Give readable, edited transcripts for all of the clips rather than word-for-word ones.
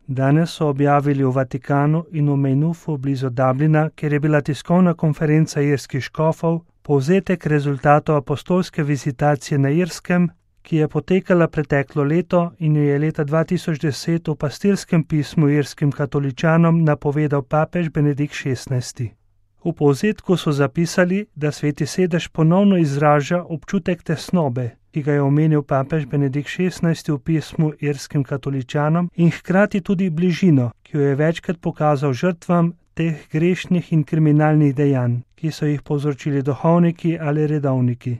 Danes so objavili v Vatikanu in v Maynoofu blizu Dublina, kjer je bila tiskovna konferenca irskih škofov, povzetek rezultatov apostolske vizitacije na Irskem, ki je potekala preteklo leto in jo je leta 2010 v pastirskem pismu irskim katoličanom napovedal papež Benedikt XVI. V povzetku so zapisali, da Sveti sedež ponovno izraža občutek tesnobe, ki ga je omenil papež Benedikt XVI v pismu irskim katoličanom, in hkrati tudi bližino, ki jo je večkrat pokazal žrtvam teh grešnih in kriminalnih dejanj, ki so jih povzročili duhovniki ali redovniki.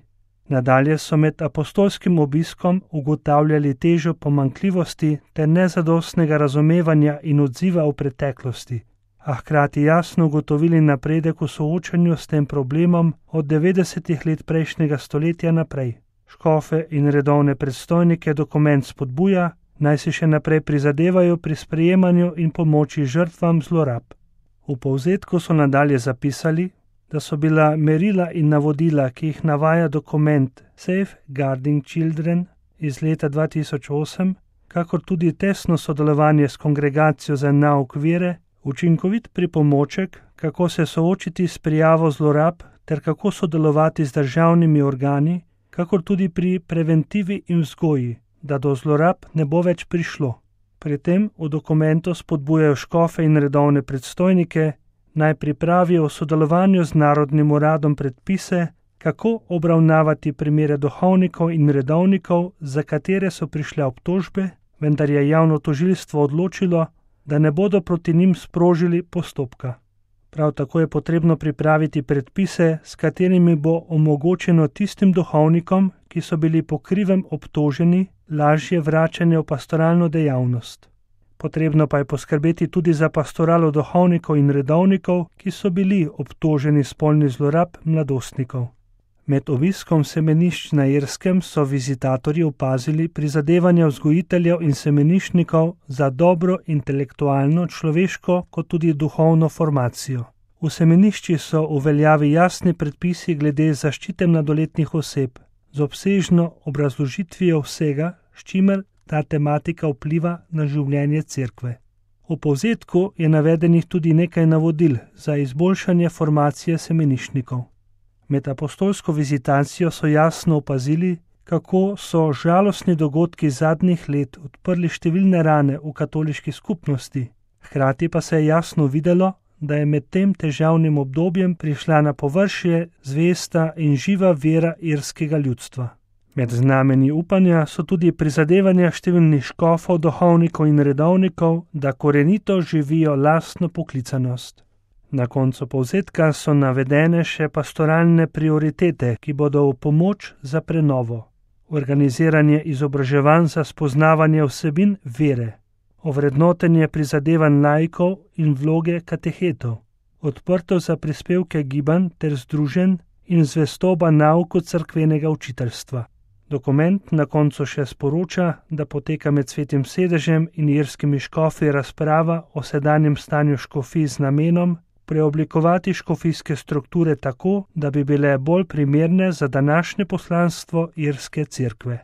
Nadalje so med apostolskim obiskom ugotavljali težo pomanjkljivosti ter nezadostnega razumevanja in odziva v preteklosti, a hkrati jasno ugotovili napredek v soočanju s tem problemom od 90. let prejšnjega stoletja naprej. Škofe in redovne predstojnike dokument spodbuja, naj si še naprej prizadevajo pri sprejemanju in pomoči žrtvam zlorab. V povzetku so nadalje zapisali, da so bila merila in navodila, ki jih navaja dokument Safeguarding Children iz leta 2008, kakor tudi tesno sodelovanje s Kongregacijo za nauk vere, učinkovit pripomoček, kako se soočiti s prijavo zlorab ter kako sodelovati z državnimi organi, kakor tudi pri preventivi in vzgoji, da do zlorab ne bo več prišlo. Pri tem v dokumentu spodbujajo škofe in redovne predstojnike, naj pripravijo v sodelovanju z Narodnim uradom predpise, kako obravnavati primere duhovnikov in redovnikov, za katere so prišle obtožbe, vendar je javno tožilstvo odločilo, da ne bodo proti njim sprožili postopka. Prav tako je potrebno pripraviti predpise, s katerimi bo omogočeno tistim duhovnikom, ki so bili po krivem obtoženi, lažje vračanje v pastoralno dejavnost. Potrebno pa je poskrbeti tudi za pastoralo duhovnikov in redovnikov, ki so bili obtoženi spolnih zlorab mladostnikov. Med obiskom semenišč na Irskem so vizitatorji opazili prizadevanja vzgojiteljev in semeniščnikov za dobro intelektualno, človeško kot tudi duhovno formacijo. V semenišči so v veljavi jasni predpisi glede zaščite mladoletnih oseb, z obsežno obrazložitvijo vsega, s čimer ta tematika vpliva na življenje cerkve. V povzetku je navedenih tudi nekaj navodil za izboljšanje formacije semeniščnikov. Med apostolsko vizitacijo so jasno opazili, kako so žalostni dogodki zadnjih let odprli številne rane v katoliški skupnosti, hkrati pa se je jasno videlo, da je med tem težavnim obdobjem prišla na površje zvesta in živa vera irskega ljudstva. Med znamenji upanja so tudi prizadevanja številnih škofov, duhovnikov in redovnikov, da korenito živijo lastno poklicanost. Na koncu povzetka so navedene še pastoralne prioritete, ki bodo v pomoč za prenovo. Organiziranje izobraževanj za spoznavanje vsebin vere, ovrednotenje prizadevanj laikov in vloge katehetov, odprto za prispevke gibanj ter združenj in zvestoba nauku cerkvenega učiteljstva. Dokument na koncu še sporoča, da poteka med Svetim sedežem in irskimi škofi razprava o sedanjem stanju škofij z namenom preoblikovati škofijske strukture tako, da bi bile bolj primerne za današnje poslanstvo irske cerkve.